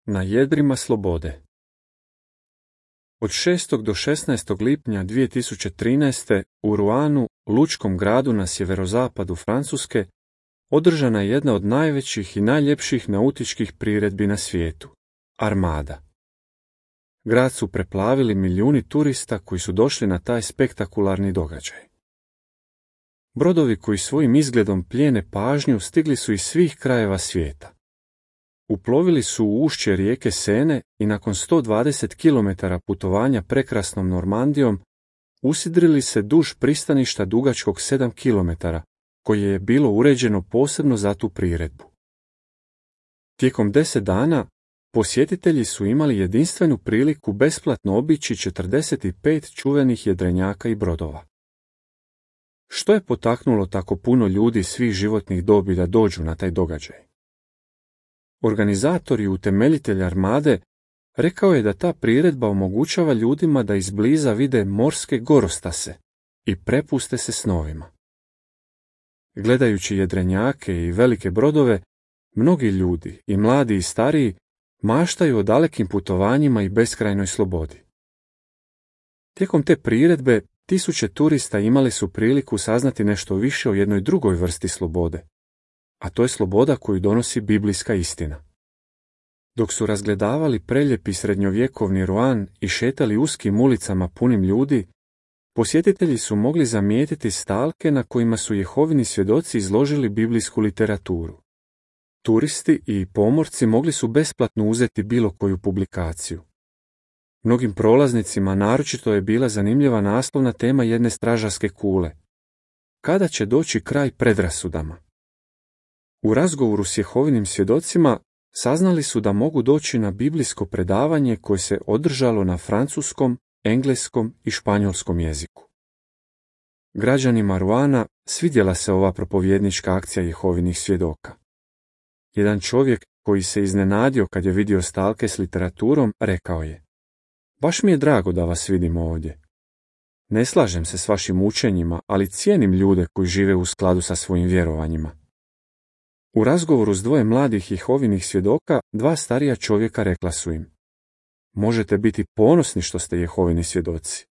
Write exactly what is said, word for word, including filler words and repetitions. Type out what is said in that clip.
Na jedrima slobode. Od šestog do šesnaestog lipnja dvije tisuće trinaeste. u Roannu, lučkom gradu na sjeverozapadu Francuske, održana je jedna od najvećih i najljepših nautičkih priredbi na svijetu – Armada. Grad su preplavili milijuni turista koji su došli na taj spektakularni događaj. Brodovi koji svojim izgledom plijene pažnju stigli su iz svih krajeva svijeta. Uplovili su u ušće rijeke Sene i nakon sto dvadeset kilometara putovanja prekrasnom Normandijom usidrili se duž pristaništa dugačkog sedam kilometara, koje je bilo uređeno posebno za tu priredbu. Tijekom deset dana posjetitelji su imali jedinstvenu priliku besplatno obići četrdeset pet čuvenih jedrenjaka i brodova. Što je potaknulo tako puno ljudi svih životnih dobi da dođu na taj događaj? Organizator i utemeljitelj Armade rekao je da ta priredba omogućava ljudima da izbliza vide morske gorostase i prepuste se snovima. Gledajući jedrenjake i velike brodove, mnogi ljudi, i mladi i stariji, maštaju o dalekim putovanjima i beskrajnoj slobodi. Tijekom te priredbe tisuće turista imali su priliku saznati nešto više o jednoj drugoj vrsti slobode, a to je sloboda koju donosi biblijska istina. Dok su razgledavali preljepi srednjovjekovni Roann i šetali uskim ulicama punim ljudi, posjetitelji su mogli zamijetiti stalke na kojima su Jehovini svjedoci izložili biblijsku literaturu. Turisti i pomorci mogli su besplatno uzeti bilo koju publikaciju. Mnogim prolaznicima naročito je bila zanimljiva naslovna tema jedne stražarske kule. Kada će doći kraj predrasudama? U razgovoru s Jehovinim svjedocima saznali su da mogu doći na biblijsko predavanje koje se održalo na francuskom, engleskom i španjolskom jeziku. Građanima Roanna svidjela se ova propovjednička akcija Jehovinih svjedoka. Jedan čovjek koji se iznenadio kad je vidio stalke s literaturom rekao je: "Baš mi je drago da vas vidim ovdje. Ne slažem se s vašim učenjima, ali cijenim ljude koji žive u skladu sa svojim vjerovanjima." U razgovoru s dvoje mladih Jehovinih svjedoka, dva starija čovjeka rekla su im: "Možete biti ponosni što ste Jehovini svjedoci.